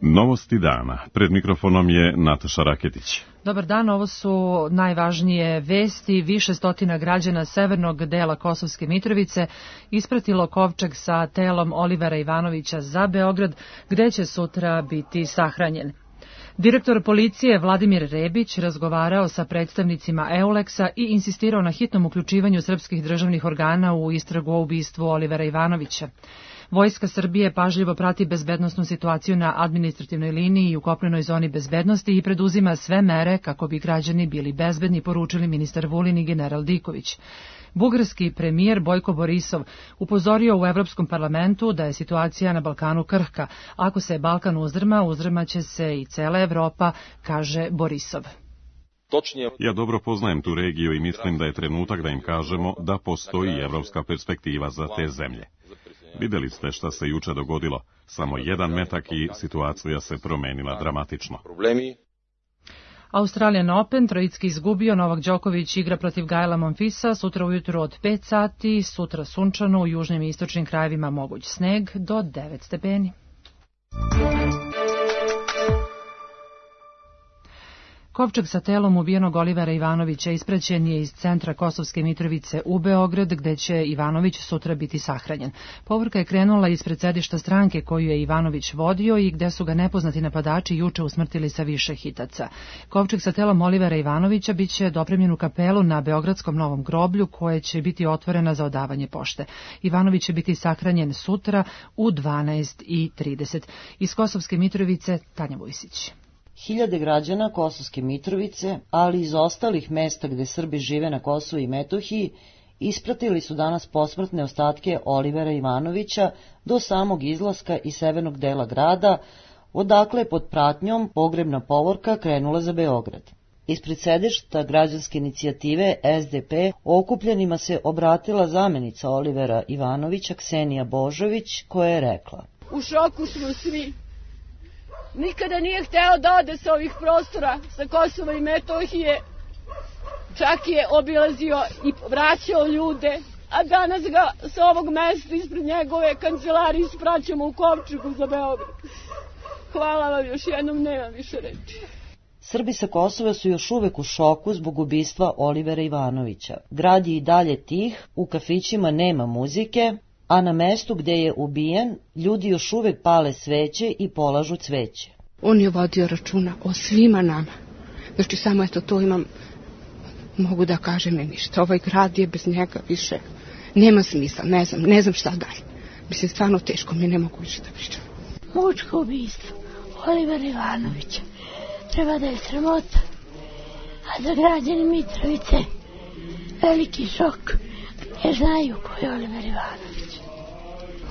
Novosti dana. Pred mikrofonom je Nataša Raketić. Dobar dan, ovo su najvažnije vesti. Više stotina građana severnog dela Kosovske Mitrovice ispratilo kovčeg sa telom Olivera Ivanovića za Beograd, gde će sutra biti sahranjen. Direktor policije Vladimir Rebić razgovarao sa predstavnicima EULEX-a i insistirao na hitnom uključivanju srpskih državnih organa u istragu o ubistvu Olivera Ivanovića. Vojska Srbije pažljivo prati bezbednosnu situaciju na administrativnoj liniji i u kopnenoj zoni bezbednosti i preduzima sve mere kako bi građani bili bezbedni, poručili ministar Vulin i general Diković. Bugarski premijer Bojko Borisov upozorio u Evropskom parlamentu da je situacija na Balkanu krhka. Ako se Balkan uzdrma, uzdrmaće se i cela Evropa, kaže Borisov. Ja dobro poznajem tu regiju i mislim da je trenutak da im kažemo da postoji evropska perspektiva za te zemlje. Videli ste šta se juče dogodilo, samo jedan metak i situacija se promenila dramatično. Australian Open, trojicki izgubio, Novak Đoković igra protiv Gaela Monfilsa, sutra ujutru od 5 sati, sutra sunčano, u južnim i istočnim krajevima moguć sneg do 9 stepeni. Kovčeg sa telom ubijenog Olivera Ivanovića ispraćen je iz centra Kosovske Mitrovice u Beograd, gde će Ivanović sutra biti sahranjen. Povorka je krenula ispred sedišta stranke koju je Ivanović vodio i gde su ga nepoznati napadači juče usmrtili sa više hitaca. Kovčeg sa telom Olivera Ivanovića biće dopremljen u kapelu na Beogradskom Novom groblju, koje će biti otvorena za odavanje pošte. Ivanović će biti sahranjen sutra u 12:30. Iz Kosovske Mitrovice, Tanja Vujsić. Hiljade građana Kosovske Mitrovice, ali iz ostalih mesta gde Srbi žive na Kosovu i Metohiji, ispratili su danas posmrtne ostatke Olivera Ivanovića do samog izlaska iz severnog dela grada, odakle pod pratnjom pogrebna povorka krenula za Beograd. Ispred sedišta građanske inicijative SDP okupljenima se obratila zamenica Olivera Ivanovića, Ksenija Božović, koja je rekla: U šoku smo svi. Nikada nije hteo da ode sa ovih prostora, sa Kosova i Metohije. Čak je obilazio i vraćao ljude, a danas ga sa ovog mesta ispred njegove kancelarije ispraćamo u kovčegu za Beograd. Hvala vam još jednom, nemam više reči. Srbi sa Kosova su još uvek u šoku zbog ubistva Olivera Ivanovića. Grad je i dalje tih, u kafićima nema muzike, a na mestu gde je ubijen, ljudi još uvek pale sveće i polažu cveće. On je vodio računa o svima nama. Znači, samo eto to imam, mogu da kažem i ništa. Ovaj grad je bez njega više, nema smisla, ne znam šta dalje. Mislim, stvarno teško mi, ne mogu više da pričam. Mučko ubistvo Olivera Ivanovića treba da je sramota, a za građane Mitrovice veliki šok, jer znaju ko je Oliver Ivanović.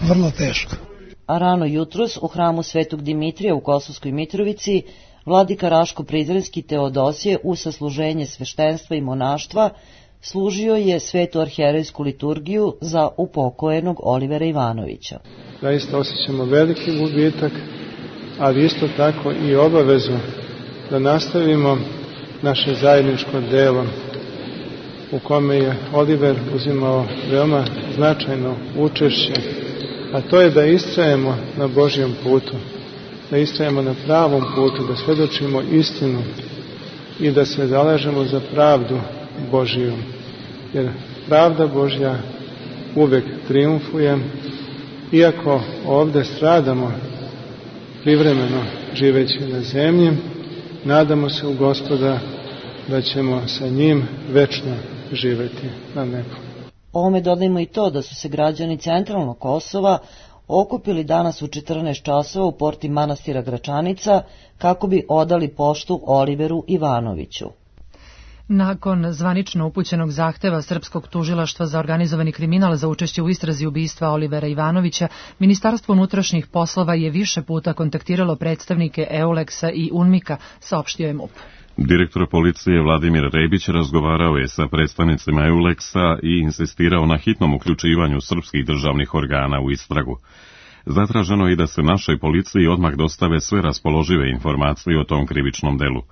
Vrlo teško. A rano jutros u hramu Svetog Dimitrija u Kosovskoj Mitrovici vladika Raško-Prizrenski Teodosije u sasluženje sveštenstva i monaštva služio je svetu arhijerejsku liturgiju za upokojenog Olivera Ivanovića. Zaista osjećamo veliki gubitak, ali isto tako i obavezu da nastavimo naše zajedničko delo u kome je Oliver uzimao veoma značajno učešće, a to je da istrajemo na Božjem putu, da istrajemo na pravom putu, da svedočimo istinu i da se zalažemo za pravdu Božiju. Jer pravda Božja uvek triumfuje, iako ovde stradamo privremeno živeći na zemlji, nadamo se u Gospoda da ćemo sa njim večno živeti na nebu. Ovome dodajmo i to da su se građani centralnog Kosova okupili danas u 14 časova u porti manastira Gračanica kako bi odali poštu Oliveru Ivanoviću. Nakon zvanično upućenog zahteva Srpskog tužilaštva za organizovani kriminal za učešće u istrazi ubistva Olivera Ivanovića, Ministarstvo unutrašnjih poslova je više puta kontaktiralo predstavnike EULEX-a i UNMIK-a, saopštio je MUP. Direktor policije Vladimir Rebić razgovarao je sa predstavnicima EULEX-a i insistirao na hitnom uključivanju srpskih državnih organa u istragu. Zatraženo je i da se našoj policiji odmah dostave sve raspoložive informacije o tom krivičnom delu.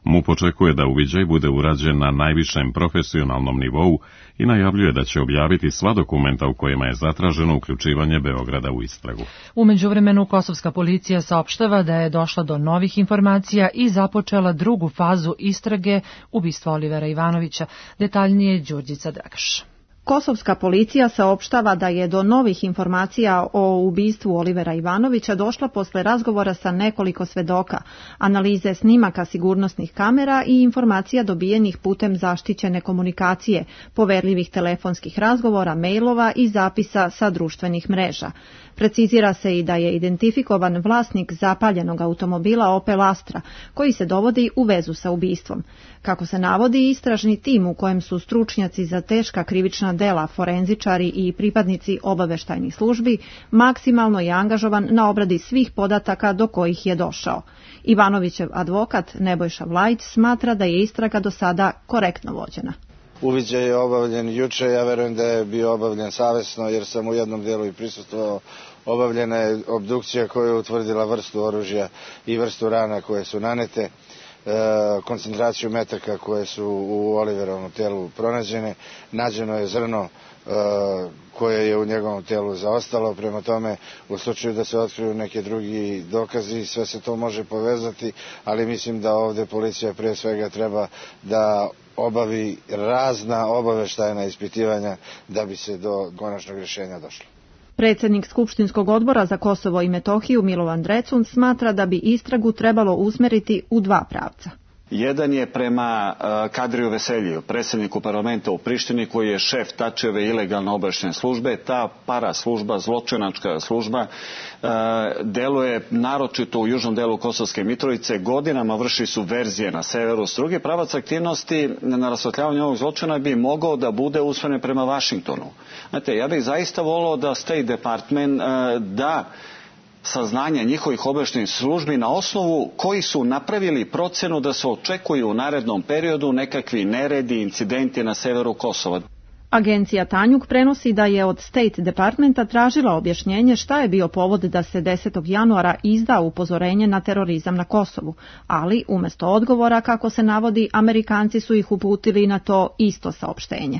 MUP očekuje da uviđaj bude urađen na najvišem profesionalnom nivou i najavljuje da će objaviti sva dokumenta u kojima je zatraženo uključivanje Beograda u istragu. U međuvremenu kosovska policija saopštava da je došla do novih informacija i započela drugu fazu istrage ubistva Olivera Ivanovića. Detaljnije Đurđica Dragaš. Kosovska policija saopštava da je do novih informacija o ubistvu Olivera Ivanovića došla posle razgovora sa nekoliko svedoka, analize snimaka sigurnosnih kamera i informacija dobijenih putem zaštićene komunikacije, poverljivih telefonskih razgovora, mailova i zapisa sa društvenih mreža. Precizira se i da je identifikovan vlasnik zapaljenog automobila Opel Astra, koji se dovodi u vezu sa ubistvom. Kako se navodi, istražni tim u kojem su stručnjaci za teška krivična dela, forenzičari i pripadnici obaveštajnih službi, maksimalno je angažovan na obradi svih podataka do kojih je došao. Ivanovićev advokat Nebojša Vlajić smatra da je istraga do sada korektno vođena. Uviđaj je obavljen juče, ja verujem da je bio obavljen savesno jer sam u jednom delu i prisustvovao. Obavljena je obdukcija koja je utvrdila vrstu oružja i vrstu rana koje su nanete, koncentraciju metaka koje su u Oliverovom telu pronađene, nađeno je zrno koje je u njegovom telu zaostalo, prema tome u slučaju da se otkriju neki drugi dokazi, sve se to može povezati, ali mislim da ovdje policija prije svega treba da obavi razna obaveštajna ispitivanja da bi se do konačnog rješenja došlo. Predsjednik Skupštinskog odbora za Kosovo i Metohiju Milovan Drecun smatra da bi istragu trebalo usmeriti u dva pravca. Jedan je prema Kadriju Veseljiju, predsjedniku parlamenta u Prištini, koji je šef Tačijeve ilegalne obavještajne službe. Ta paraslužba, zločinačka služba, deluje naročito u južnom delu Kosovske Mitrovice, godinama vrši subverzije na severu. S druge, pravac aktivnosti na rasvetljavanju ovog zločina bi mogao da bude usmjeren prema Vašingtonu. Znate, ja bih zaista volio da State Department da saznanja njihovih obavještajnih službi na osnovu koji su napravili procenu da se očekuju u narednom periodu nekakvi neredi, incidenti na severu Kosova. Agencija Tanjug prenosi da je od State Departmenta tražila objašnjenje šta je bio povod da se 10. januara izda upozorenje na terorizam na Kosovu, ali umjesto odgovora, kako se navodi, Amerikanci su ih uputili na to isto saopštenje.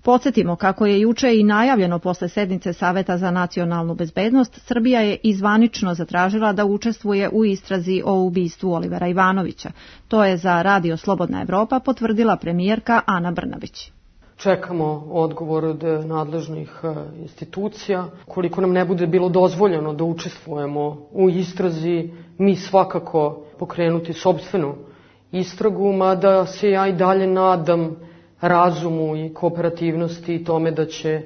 Podsjetimo kako je juče i najavljeno posle sednice Saveta za nacionalnu bezbednost, Srbija je izvanično zatražila da učestvuje u istrazi o ubistvu Olivera Ivanovića. To je za Radio Slobodna Evropa potvrdila premijerka Ana Brnabić. Čekamo odgovor od nadležnih institucija. Koliko nam ne bude bilo dozvoljeno da učestvujemo u istrazi, mi svakako pokrenuti sopstvenu istragu, mada se ja i dalje nadam razumu i kooperativnosti i tome da će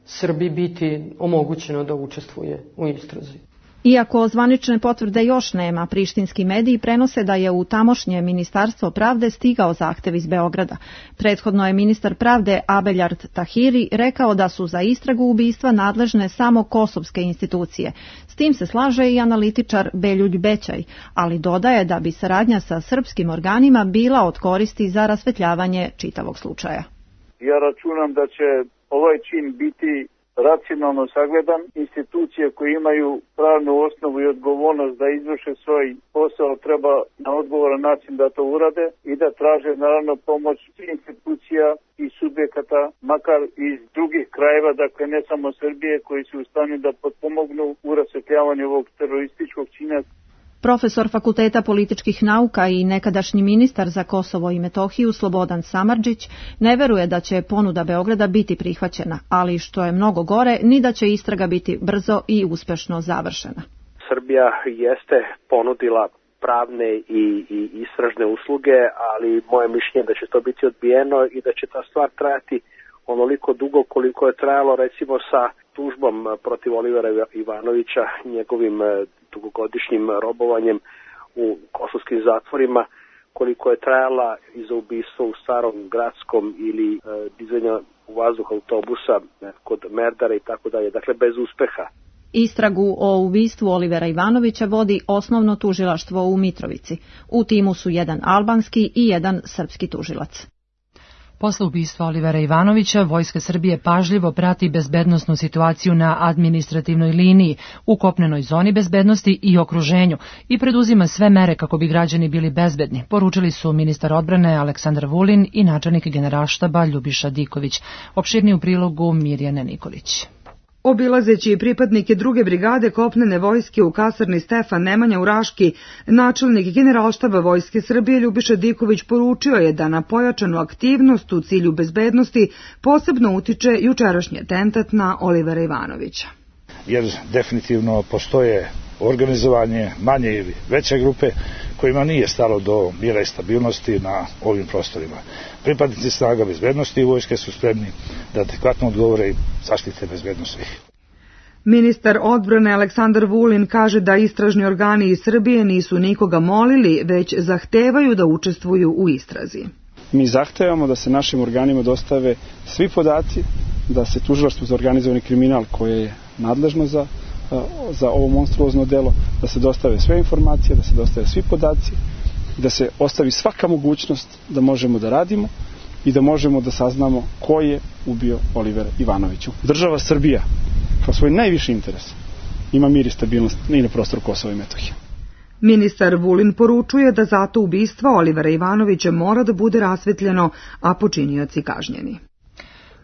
Srbiji biti omogućeno da učestvuje u istrazi. Iako zvanične potvrde još nema, prištinski mediji prenose da je u tamošnje Ministarstvo pravde stigao zahtev iz Beograda. Prethodno je ministar pravde Abeljard Tahiri rekao da su za istragu ubistva nadležne samo kosovske institucije. S tim se slaže i analitičar Beljulj Bećaj, ali dodaje da bi saradnja sa srpskim organima bila od koristi za rasvetljavanje čitavog slučaja. Ja računam da će ovaj čin biti racionalno sagledan. Institucije koje imaju pravnu osnovu i odgovornost da izvrše svoj posao treba na odgovoran način da to urade i da traže naravno pomoć institucija i subjekata, makar iz drugih krajeva, dakle ne samo Srbije, koji su u stanju da potpomognu u rasvetljavanju ovog terorističkog čina. Profesor Fakulteta političkih nauka i nekadašnji ministar za Kosovo i Metohiju Slobodan Samardžić ne veruje da će ponuda Beograda biti prihvaćena, ali što je mnogo gore, ni da će istraga biti brzo i uspešno završena. Srbija jeste ponudila pravne i istražne usluge, ali moje mišljenje da će to biti odbijeno i da će ta stvar trajati onoliko dugo koliko je trajalo recimo sa tužbom protiv Olivera Ivanovića, njegovim dugogodišnjim robovanjem u kosovskim zatvorima, koliko je trajala i za ubistvo u Starom Gradskom ili dizanja u vazduh autobusa kod Merdara i tako dalje, dakle bez uspeha. Istragu o ubistvu Olivera Ivanovića vodi osnovno tužilaštvo u Mitrovici. U timu su jedan albanski i jedan srpski tužilac. Posle ubistva Olivera Ivanovića, Vojska Srbije pažljivo prati bezbednosnu situaciju na administrativnoj liniji, u kopnenoj zoni bezbednosti i okruženju i preduzima sve mere kako bi građani bili bezbedni, poručili su ministar odbrane Aleksandar Vulin i načelnik Generalštaba Ljubiša Diković. Opširniji u prilogu Mirjana Nikolić. Obilazeći pripadnike druge brigade kopnene vojske u kasarni Stefan Nemanja u Raški, načelnik Generalštaba Vojske Srbije Ljubiša Diković poručio je da na pojačanu aktivnost u cilju bezbednosti posebno utiče jučerašnji atentat na Olivera Ivanovića. Jer definitivno postoje organizovanje manje ili veće grupe kojima nije stalo do mira i stabilnosti na ovim prostorima. Pripadnici snaga bezbednosti i vojske su spremni da adekvatno odgovore i zaštite bezbednost svih. Ministar odbrane Aleksandar Vulin kaže da istražni organi iz Srbije nisu nikoga molili, već zahtevaju da učestvuju u istrazi. Mi zahtevamo da se našim organima dostave svi podaci, da se Tužilaštvo za organizovani kriminal koje je nadležno za ovo monstruozno delo, da se dostave sve informacije, da se dostave svi podaci, da se ostavi svaka mogućnost da možemo da radimo i da možemo da saznamo ko je ubio Olivera Ivanovića. Država Srbija, kao svoj najviši interes, ima mir i stabilnost i na prostoru Kosova i Metohije. Ministar Vulin poručuje da zato ubistvo Olivera Ivanovića mora da bude rasvetljeno, a počinioci kažnjeni.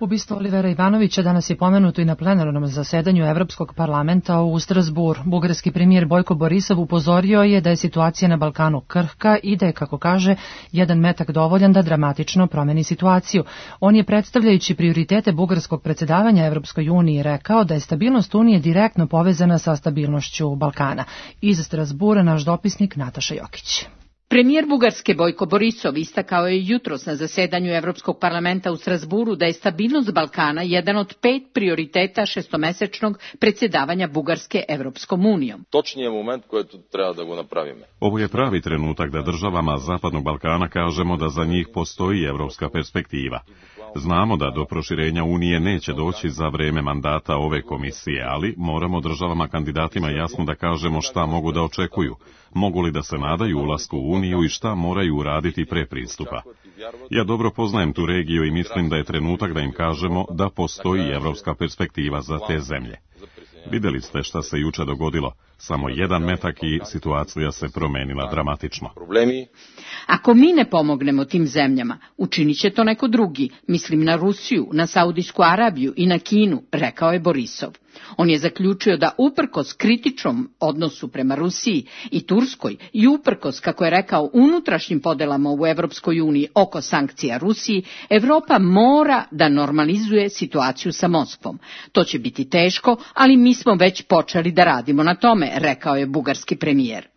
Ubistvo Olivera Ivanovića danas je pomenuto i na plenarnom zasedanju Evropskog parlamenta u Strasbourg. Bugarski premijer Bojko Borisov upozorio je da je situacija na Balkanu krhka i da je, kako kaže, jedan metak dovoljan da dramatično promeni situaciju. On je, predstavljajući prioritete bugarskog predsjedavanja Evropskoj uniji, rekao da je stabilnost Unije direktno povezana sa stabilnošću Balkana. Iz Strasbourga naš dopisnik Nataša Jokić. Premijer Bugarske Bojko Borisov istakao je jutros na zasedanju Evropskog parlamenta u Strasburu da je stabilnost Balkana jedan od 5 prioriteta šestomesečnog predsjedavanja Bugarske Evropskom unijom. Točnije moment koji treba da go napravimo. Ovo je pravi trenutak da državama Zapadnog Balkana kažemo da za njih postoji evropska perspektiva. Znamo da do proširenja Unije neće doći za vreme mandata ove komisije, ali moramo državama kandidatima jasno da kažemo šta mogu da očekuju. Mogu li da se nadaju ulasku u Uniju i šta moraju uraditi pre pristupa. Ja dobro poznajem tu regiju i mislim da je trenutak da im kažemo da postoji evropska perspektiva za te zemlje. Videli ste šta se juče dogodilo. Samo jedan metak i situacija se promenila dramatično. Ako mi ne pomognemo tim zemljama, učinit će to neko drugi, mislim na Rusiju, na Saudijsku Arabiju i na Kinu, rekao je Borisov. On je zaključio da uprkos kritičnom odnosu prema Rusiji i Turskoj i uprkos, kako je rekao, unutrašnjim podelama u Evropskoj uniji oko sankcija Rusiji, Evropa mora da normalizuje situaciju sa Moskvom. To će biti teško, ali mi smo već počeli da radimo na tome, rekao je bugarski premijer.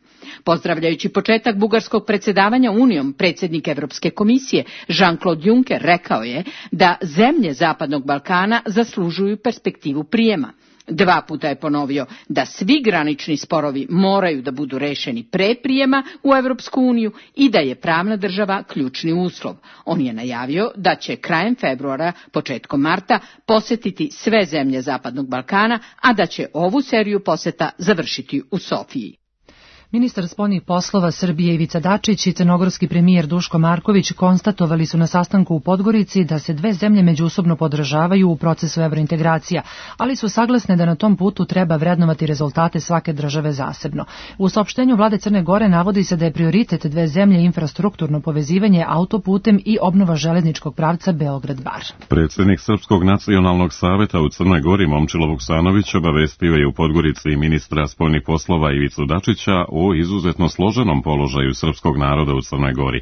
Pozdravljajući početak bugarskog predsjedavanja Unijom, predsjednik Evropske komisije Jean-Claude Juncker rekao je da zemlje Zapadnog Balkana zaslužuju perspektivu prijema. 2 puta je ponovio da svi granični sporovi moraju da budu rešeni pre prijema u Evropsku uniju i da je pravna država ključni uslov. On je najavio da će krajem februara, početkom marta posetiti sve zemlje Zapadnog Balkana, a da će ovu seriju poseta završiti u Sofiji. Ministar spoljnih poslova Srbije Ivica Dačić i crnogorski premijer Duško Marković konstatovali su na sastanku u Podgorici da se dve zemlje međusobno podržavaju u procesu evrointegracija, ali su saglasne da na tom putu treba vrednovati rezultate svake države zasebno. U saopštenju vlade Crne Gore navodi se da je prioritet dve zemlje infrastrukturno povezivanje autoputem i obnova železničkog pravca Beograd-Bar. Predsjednik Srpskog nacionalnog saveta u Crnoj Gori Momčilo Vuksanović obavestio je u Podgorici ministra spoljnih poslova Ivicu Dačića o izuzetno složenom položaju srpskog naroda u Crnoj Gori.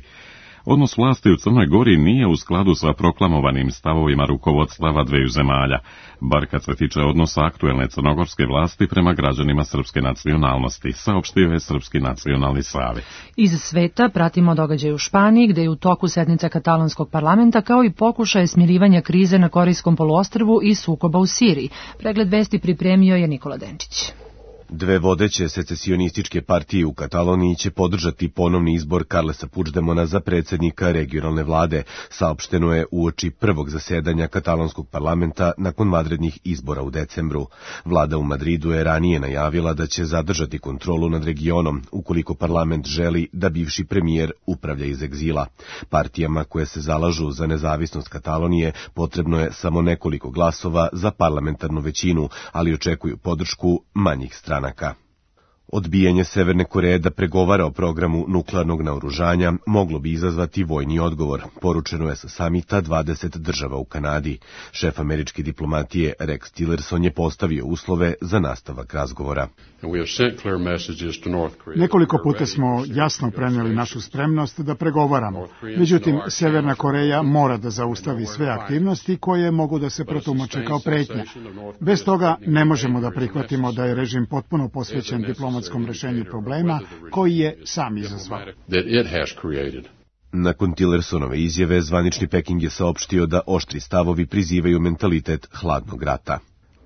Odnos vlasti u Crnoj Gori nije u skladu sa proklamovanim stavovima rukovodstava dveju zemalja, bar kad se tiče odnosa aktuelne crnogorske vlasti prema građanima srpske nacionalnosti, saopštio je Srpski nacionalni savet. Iz sveta pratimo događaj u Španiji, gde je u toku sednica katalonskog parlamenta, kao i pokušaje smirivanja krize na Korijskom poluostrvu i sukoba u Siriji. Pregled vesti pripremio je Nikola Denčić. Dve vodeće secesionističke partije u Kataloniji će podržati ponovni izbor Carlesa Puigdemona za predsjednika regionalne vlade, saopšteno je uoči prvog zasedanja katalonskog parlamenta nakon vanrednih izbora u decembru. Vlada u Madridu je ranije najavila da će zadržati kontrolu nad regionom ukoliko parlament želi da bivši premijer upravlja iz egzila. Partijama koje se zalažu za nezavisnost Katalonije potrebno je samo nekoliko glasova za parlamentarnu većinu, ali očekuju podršku manjih stranaka. Odbijanje Severne Koreje da pregovara o programu nuklearnog naoružanja moglo bi izazvati vojni odgovor, poručeno je sa samita 20 država u Kanadi. Šef američke diplomatije Rex Tillerson je postavio uslove za nastavak razgovora. Nekoliko puta smo jasno prenijeli našu spremnost da pregovaramo. Međutim, Severna Koreja mora da zaustavi sve aktivnosti koje mogu da se protumače kao pretnja. Bez toga ne možemo da prihvatimo da je režim potpuno posvećen diplomatskom rešenju problema koji je sam izazvao. Nakon Tillersonove izjave, zvanični Peking je saopštio da oštri stavovi prizivaju mentalitet hladnog rata.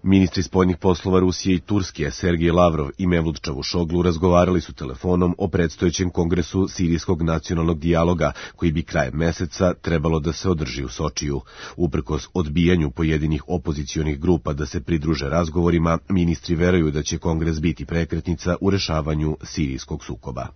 Ministri spoljnih poslova Rusije i Turske, Sergej Lavrov i Mevlut Čavušoglu, razgovarali su telefonom o predstojećem kongresu Sirijskog nacionalnog dijaloga, koji bi krajem meseca trebalo da se održi u Sočiju. Uprkos odbijanju pojedinih opozicionih grupa da se pridruže razgovorima, ministri veruju da će kongres biti prekretnica u rešavanju sirijskog sukoba.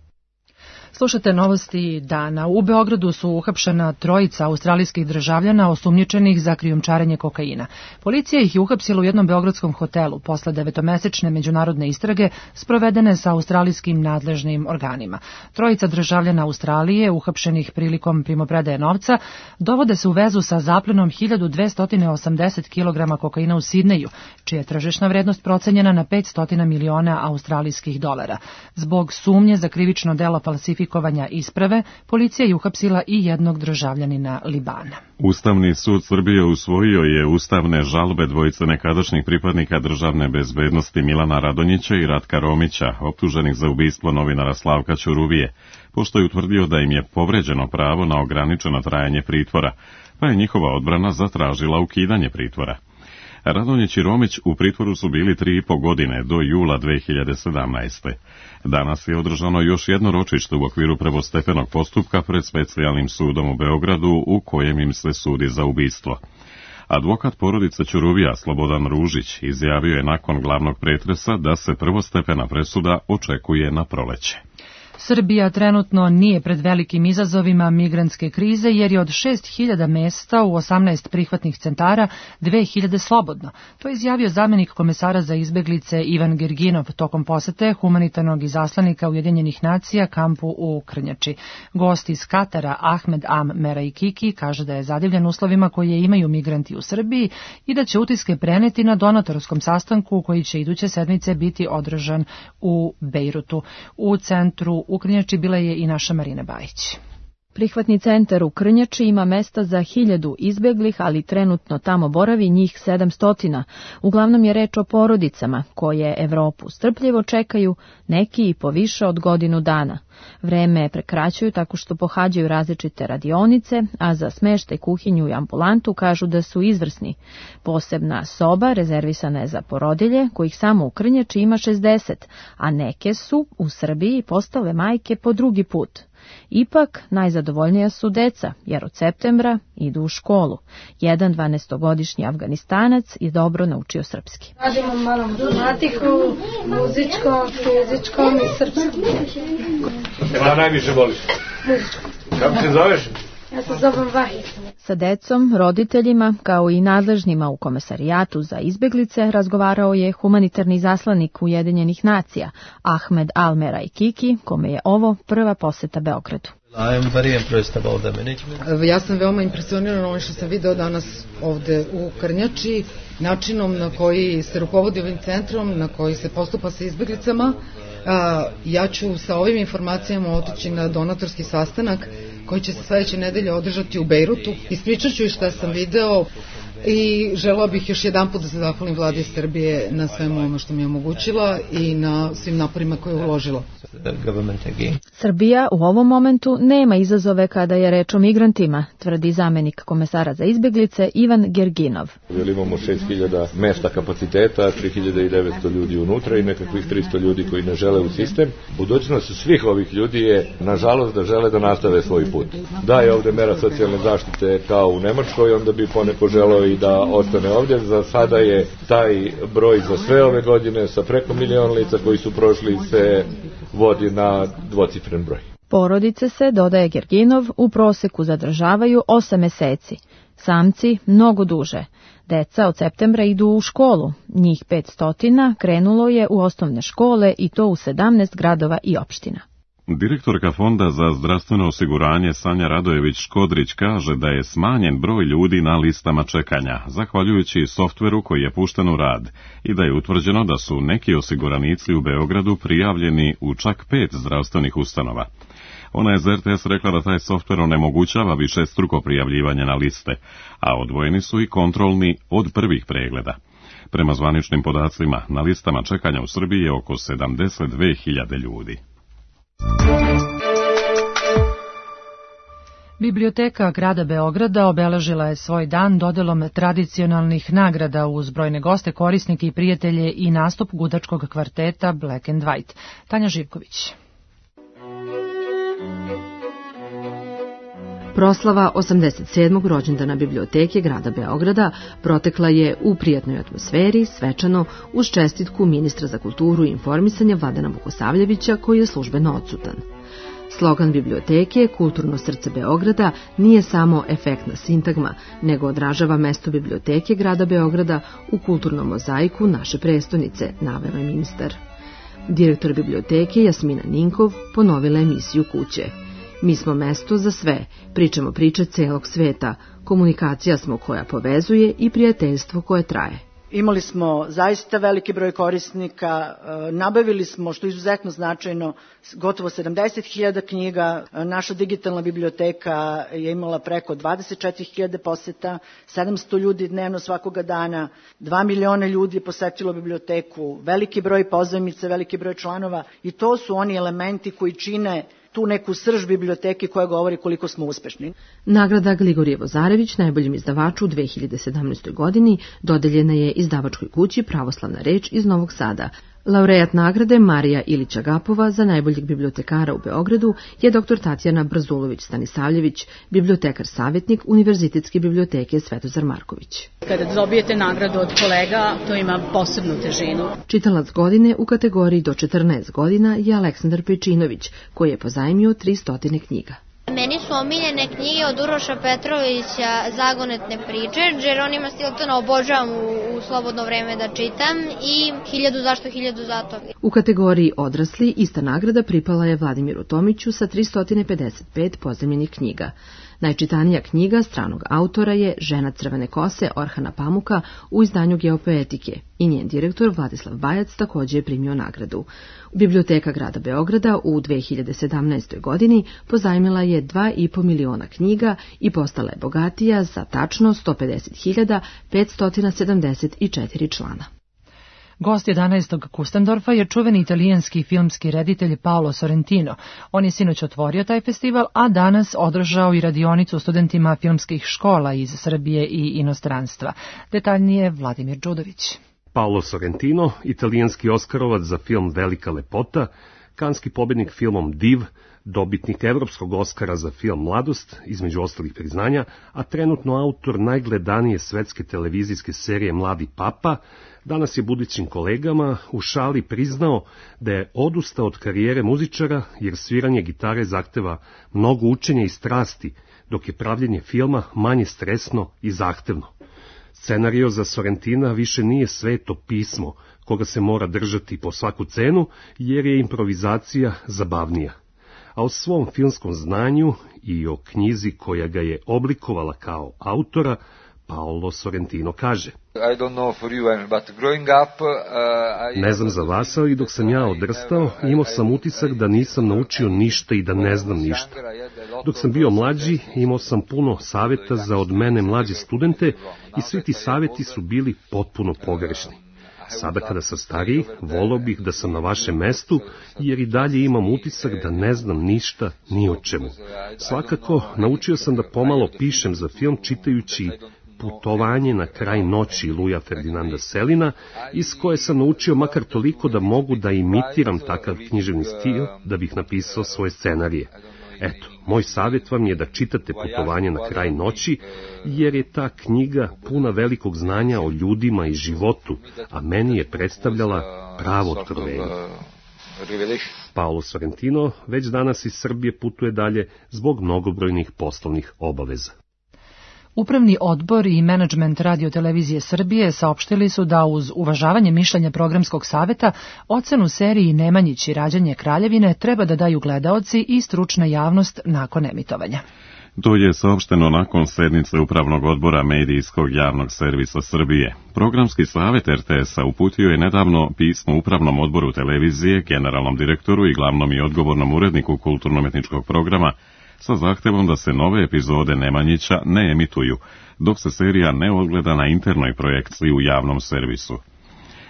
Slušate novosti dana. U Beogradu su uhapšena trojica australijskih državljana osumnjičenih za krijumčarenje kokaina. Policija ih je uhapsila u jednom beogradskom hotelu posle 9-mesečne međunarodne istrage sprovedene sa australijskim nadležnim organima. Trojica državljana Australije, uhapšenih prilikom primopredaje novca, dovode se u vezu sa zaplenom 1280 kg kokaina u Sidneju, čija je tržišna vrednost procenjena na 500 miliona australijskih dolara. Zbog sumnje za krivično delo falsifikovanja isprave, policija je uhapsila i jednog državljanina Libana. Ustavni sud Srbije usvojio je ustavne žalbe dvojice nekadašnjih pripadnika državne bezbednosti Milana Radonjića i Ratka Romića, optuženih za ubistvo novinara Slavka Ćuruvije, pošto je utvrdio da im je povređeno pravo na ograničeno trajanje pritvora, pa je njihova odbrana zatražila ukidanje pritvora. Radonjić i Romić u pritvoru su bili 3,5 godine do jula 2017. Danas je održano još jedno ročište u okviru prvostepenog postupka pred specijalnim sudom u Beogradu u kojem im se sudi za ubistvo. Advokat porodice Ćuruvija Slobodan Ružić izjavio je nakon glavnog pretresa da se prvostepena presuda očekuje na proleće. Srbija trenutno nije pred velikim izazovima migrantske krize jer je od 6.000 mesta u 18 prihvatnih centara 2.000 slobodno. To je izjavio zamenik komesara za izbeglice Ivan Gerginov tokom posete humanitarnog izaslanika Ujedinjenih nacija kampu u Krnjači. Gost iz Katara Ahmed Am Meraikiki kaže da je zadivljen uslovima koje imaju migranti u Srbiji i da će utiske preneti na donatorskom sastanku koji će iduće sedmice biti održan u Bejrutu. U centru u Krnjači bila je i naša Marina Bajić. Prihvatni centar u Krnjači ima mesta za 1000 izbeglih, ali trenutno tamo boravi njih 700. Uglavnom je reč o porodicama koje Evropu strpljivo čekaju, neki i po više od godinu dana. Vreme prekraćuju tako što pohađaju različite radionice, a za smeštaj, kuhinju i ambulantu kažu da su izvrsni. Posebna soba rezervisana je za porodilje, kojih samo u Krnjači ima 60, a neke su u Srbiji postale majke po drugi put. Ipak, najzadovoljnija su deca, jer od septembra idu u školu. Jedan 12-godišnji Afganistanac je dobro naučio srpski. Radimo malo matematiku, muzičkom, fizičkom i srpskom. Šta najviše voliš? Muzičkom. Kako se zoveš? Ja se zovem Vahid. Sa decom, roditeljima, kao i nadležnima u komesarijatu za izbeglice, razgovarao je humanitarni izaslanik Ujedinjenih nacija, Ahmed Al Meraikiki, kome je ovo prva poseta Beogradu. Ja sam veoma impresioniran ovim što sam video danas ovde u Krnjači, načinom na koji se rukovodi ovim centrom, na koji se postupa sa izbeglicama. Ja ću sa ovim informacijama otići na donatorski sastanak koji će se sledeće nedelje održati u Bejrutu. Ispričat ću šta sam video. I želeo bih još jedan put da se zahvalim vladi Srbije na svemu ono što mi je omogućila i na svim naporima koje je uložila. Srbija u ovom momentu nema izazove kada je reč o migrantima, tvrdi zamenik komesara za izbjeglice Ivan Gerginov. Imamo 6000 mesta kapaciteta, 3900 ljudi unutra i nekakvih 300 ljudi koji ne žele u sistem. Budućnost svih ovih ljudi je, nažalost, da žele da nastave svoj put. Da je ovde mera socijalne zaštite kao u Nemačkoj, onda bi poneko želeo i da ostane ovdje. Za sada je taj broj za sve ove godine sa preko 1 milion lica koji su prošli se vodi na dvocifren broj. Porodice se, dodaje Gerginov, u proseku zadržavaju 8 meseci. Samci mnogo duže. Deca od septembra idu u školu. Njih 500 krenulo je u osnovne škole i to u 17 gradova i opština. Direktorka Fonda za zdravstveno osiguranje Sanja Radojević-Škodrić kaže da je smanjen broj ljudi na listama čekanja, zahvaljujući softveru koji je pušten u rad, i da je utvrđeno da su neki osiguranici u Beogradu prijavljeni u čak 5 zdravstvenih ustanova. Ona je za RTS rekla da taj softver onemogućava višestruko prijavljivanje na liste, a odvojeni su i kontrolni od prvih pregleda. Prema zvaničnim podacima, na listama čekanja u Srbiji je oko 72.000 ljudi. Biblioteka grada Beograda obeležila je svoj dan dodelom tradicionalnih nagrada uz brojne goste, korisnike i prijatelje i nastup gudačkog kvarteta Black and White. Tanja Živković. Proslava 87. rođendana Biblioteke grada Beograda protekla je u prijatnoj atmosferi, svečano, uz čestitku ministra za kulturu i informisanje Vladana Vukosavljevića, koji je službeno odsutan. Slogan biblioteke, Kulturno srce Beograda, nije samo efektna sintagma, nego odražava mesto Biblioteke grada Beograda u kulturnom mozaiku naše prestonice, naveo je ministar. Direktor biblioteke Jasmina Ninkov ponovila emisiju Kuće. Mi smo mesto za sve, pričamo priče celog sveta, komunikacija smo koja povezuje i prijateljstvo koje traje. Imali smo zaista veliki broj korisnika, nabavili smo, što je izuzetno značajno, gotovo 70.000 knjiga, naša digitalna biblioteka je imala preko 24.000 poseta, 700 ljudi dnevno svakoga dana, 2 miliona ljudi je posetilo biblioteku, veliki broj pozajmica, veliki broj članova, i to su oni elementi koji čine tu neku srž biblioteke koja govori koliko smo uspešni. Nagrada Gligorije Zarević najboljem izdavaču u 2017. godini dodeljena je izdavačkoj kući Pravoslavna reč iz Novog Sada. Laureat nagrade Marija Ilić-Agapova za najboljeg bibliotekara u Beogradu je dr. Tatjana Brzulović-Stanisavljević, bibliotekar savjetnik Univerzitetske biblioteke Svetozar Marković. Kada dobijete nagradu od kolega, to ima posebnu težinu. Čitalac godine u kategoriji do 14 godina je Aleksandar Pejčinović, koji je pozajmio 300 knjiga. Meni su omiljene knjige od Uroša Petrovića Zagonetne priče, Džeronima Stiltona obožavam u slobodno vreme da čitam, i 1000 zašto 1000 zato. U kategoriji odrasli ista nagrada pripala je Vladimiru Tomiću sa 355 pozajmljenih knjiga. Najčitanija knjiga stranog autora je Žena crvene kose Orhana Pamuka u izdanju Geopoetike i njen direktor Vladislav Bajac također je primio nagradu. Biblioteka grada Beograda u 2017. godini pozajmila je 2,5 miliona knjiga i postala je bogatija za tačno 150.574 člana. Gost 11. Kustendorfa je čuveni italijanski filmski reditelj Paolo Sorrentino. On je sinoć otvorio taj festival, a danas održao i radionicu studentima filmskih škola iz Srbije i inostranstva. Detaljnije Vladimir Đudović. Paolo Sorrentino, italijanski Oskarovac za film Velika lepota, kanski pobednik filmom Div, dobitnik Evropskog Oskara za film Mladost, između ostalih priznanja, a trenutno autor najgledanije svetske televizijske serije Mladi papa, danas je budućim kolegama u šali priznao da je odustao od karijere muzičara jer sviranje gitare zahteva mnogo učenja i strasti, dok je pravljenje filma manje stresno i zahtevno. Scenario za Sorrentina više nije sveto pismo koga se mora držati po svaku cenu jer je improvizacija zabavnija. A o svom filmskom znanju i o knjizi koja ga je oblikovala kao autora, Paolo Sorrentino kaže: Ne znam za vas, ali dok sam ja odrastao, imao sam utisak da nisam naučio ništa i da ne znam ništa. Dok sam bio mlađi, imao sam puno saveta za od mene mlađe studente i svi ti saveti su bili potpuno pogrešni. Sada kada sam stariji, volao bih da sam na vašem mestu, jer i dalje imam utisak da ne znam ništa ni o čemu. Svakako, naučio sam da pomalo pišem za film čitajući Putovanje na kraj noći Luja Ferdinanda Selina, iz koje sam naučio makar toliko da mogu da imitiram takav književni stil da bih napisao svoje scenarije. Eto, moj savjet vam je da čitate Putovanje na kraj noći, jer je ta knjiga puna velikog znanja o ljudima i životu, a meni je predstavljala pravo otkrovenje. Paolo Sorrentino već danas iz Srbije putuje dalje zbog mnogobrojnih poslovnih obaveza. Upravni odbor i menadžment Radio-televizije Srbije saopštili su da uz uvažavanje mišljenja programskog saveta ocenu seriji Nemanjić i rađanje kraljevine treba da daju gledaoci i stručna javnost nakon emitovanja. To je saopšteno nakon sednice Upravnog odbora Medijskog javnog servisa Srbije. Programski savet RTS-a uputio je nedavno pismo Upravnom odboru televizije, generalnom direktoru i glavnom i odgovornom uredniku kulturno-umetničkog programa sa zahtevom da se nove epizode Nemanjića ne emituju, dok se serija ne odgleda na internoj projekciji u javnom servisu.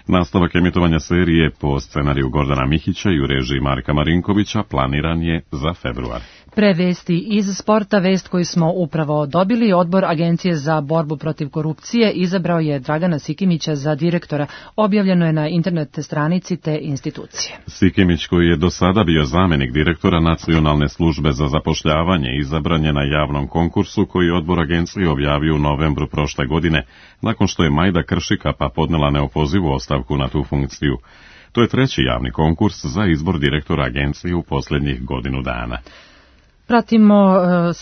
Nastavak emitovanja serije po scenariju Gordana Mihića i u režiji Marka Marinkovića planiran je za februar. Pre vesti iz sporta, vest koju smo upravo dobili, odbor Agencije za borbu protiv korupcije izabrao je Dragana Sikimića za direktora. Objavljeno je na internet stranici te institucije. Sikimić, koji je do sada bio zamenik direktora Nacionalne službe za zapošljavanje, izabran je na javnom konkursu koji je odbor agencije objavio u novembru prošle godine, nakon što je Majda Kršikapa podnela neopozivu ostavku na tu funkciju. To je treći javni konkurs za izbor direktora agencije u posljednjih godinu dana. Pratimo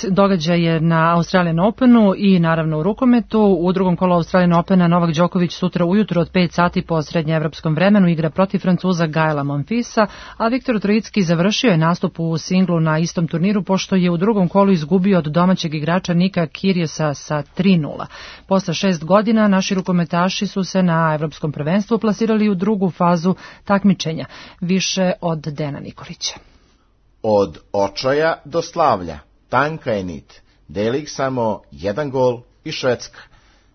događaje na Australian Openu i naravno u rukometu. U drugom kolu Australian Opena Novak Đoković sutra ujutro od 5 sati po srednjeevropskom vremenu igra protiv Francuza Gaela Monfilsa, a Viktor Trojicki završio je nastup u singlu na istom turniru pošto je u drugom kolu izgubio od domaćeg igrača Nika Kyrgiosa sa 3:0. Posle 6 godina naši rukometaši su se na evropskom prvenstvu plasirali u drugu fazu takmičenja. Više od Dena Nikolića. Od očaja do slavlja, tanka je nit, deli ih samo jedan gol i Švedska.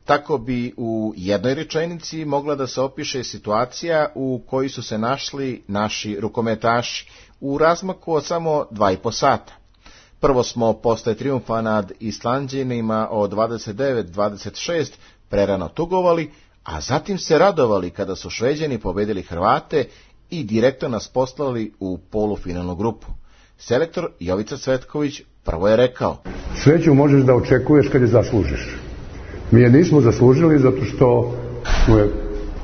Tako bi u jednoj rečenici mogla da se opiše situacija u kojoj su se našli naši rukometaši u razmaku od samo 2,5 sata. Prvo smo posle trijumfa nad Islanđanima od 29-26 prerano tugovali, a zatim se radovali kada su Šveđani pobedili Hrvate i direktno nas poslali u polufinalnu grupu. Selektor Jovica Cvetković prvo je rekao: Sreću možeš da očekuješ kad je zaslužiš. Mi je nismo zaslužili zato što smo je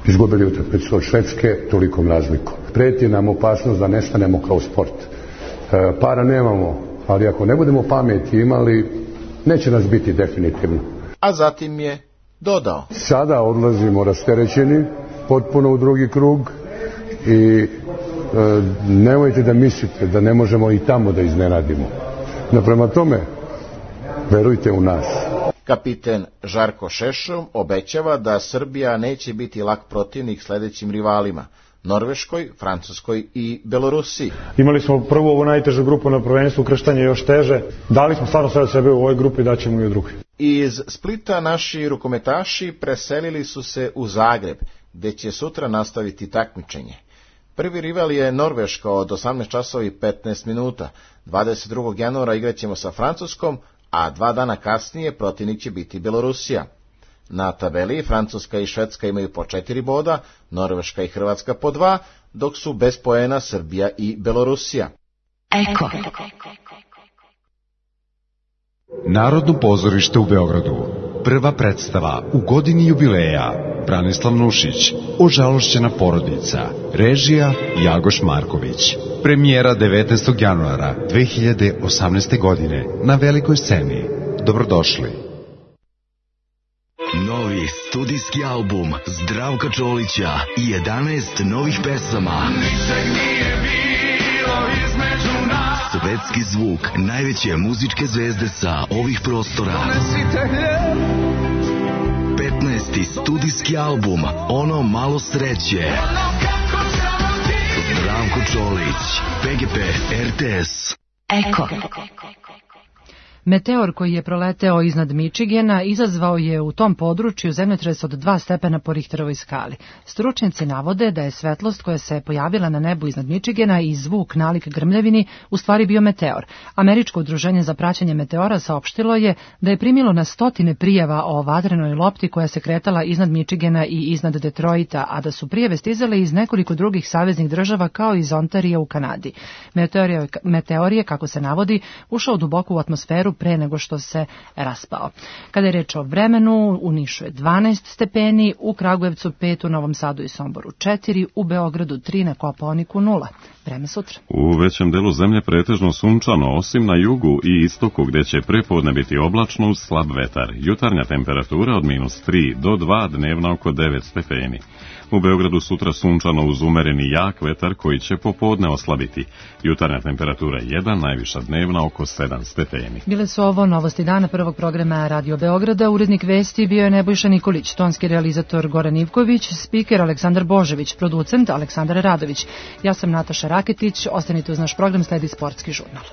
izgubili utakmicu od Švedske tolikom razlikom. Preti nam opasnost da nestanemo kao sport. Para nemamo, ali ako ne budemo pameti imali, neće nas biti definitivno. A zatim je dodao: Sada odlazimo rasterećeni potpuno u drugi krug i nemojte da mislite da ne možemo i tamo da iznenadimo. No prema tome, verujte u nas. Kapiten Žarko Šešov obećava da Srbija neće biti lak protivnik sledećim rivalima: Norveškoj, Francuskoj i Belorusiji. Imali smo prvu ovu najtežu grupu na prvenstvu, krštanje još teže. Dali smo stvarno sve od sebe u ovoj grupi, daćemo i u drugoj. Iz Splita naši rukometaši preselili su se u Zagreb, gde će sutra nastaviti takmičenje. Prvi rival je Norveška od 18 časova i 15 minuta. 22. januara igraćemo sa Francuskom, a 2 dana kasnije protivnik će biti Belorusija. Na tabeli Francuska i Švedska imaju po 4 boda, Norveška i Hrvatska po 2, dok su bez poena Srbija i Belorusija. Eko. Narodno pozorište u Beogradu. Prva predstava u godini jubileja. Branislav Nušić, Ožalošćena porodica. Režija Jagoš Marković. Premijera 19. januara 2018. godine na velikoj sceni. Dobrodošli. Novi studijski album Zdravka Čolića i 11 novih pesama. Ničeg nije bilo između nas. Svetski zvuk najveće muzičke zvezde sa ovih prostora. 15. studijski album Ono malo sreće. Zdravko Čolić, PGP RTS. Eko. Meteor koji je proleteo iznad Michigana izazvao je u tom području zemljotres od 2 stepena po Richterovoj skali. Stručnjaci navode da je svetlost koja se pojavila na nebu iznad Michigana i zvuk nalik grmljavini u stvari bio meteor. Američko udruženje za praćenje meteora saopštilo je da je primilo na stotine prijava o vatrenoj lopti koja se kretala iznad Michigana i iznad Detroita, a da su prijave stizale iz nekoliko drugih saveznih država kao iz Ontarija u Kanadi. Meteor je, kako se navodi, ušao duboko u atmosferu pre nego što se raspao. Kada je reč o vremenu, u Nišu je 12 stepeni, u Kragujevcu 5, u Novom Sadu i Somboru 4, u Beogradu 3, na Kopaoniku 0. Vreme sutra. U većem delu zemlje pretežno sunčano, osim na jugu i istoku gde će prepodne biti oblačno uz slab vetar. Jutarnja temperatura od -3 do 2, dnevna oko 9 stepeni. U Beogradu sutra sunčano uz umereni jak vetar koji će popodne oslabiti. Jutarnja temperatura 1, najviša dnevna oko 7 stepeni. Bile su ovo novosti dana prvog programa Radio Beograda. Urednik vesti bio je Nebojša Nikolić, tonski realizator Goran Ivković, spiker Aleksandar Božević, producent Aleksandar Radović. Ja sam Nataša Raketić, ostanite uz naš program, sledi sportski žurnal.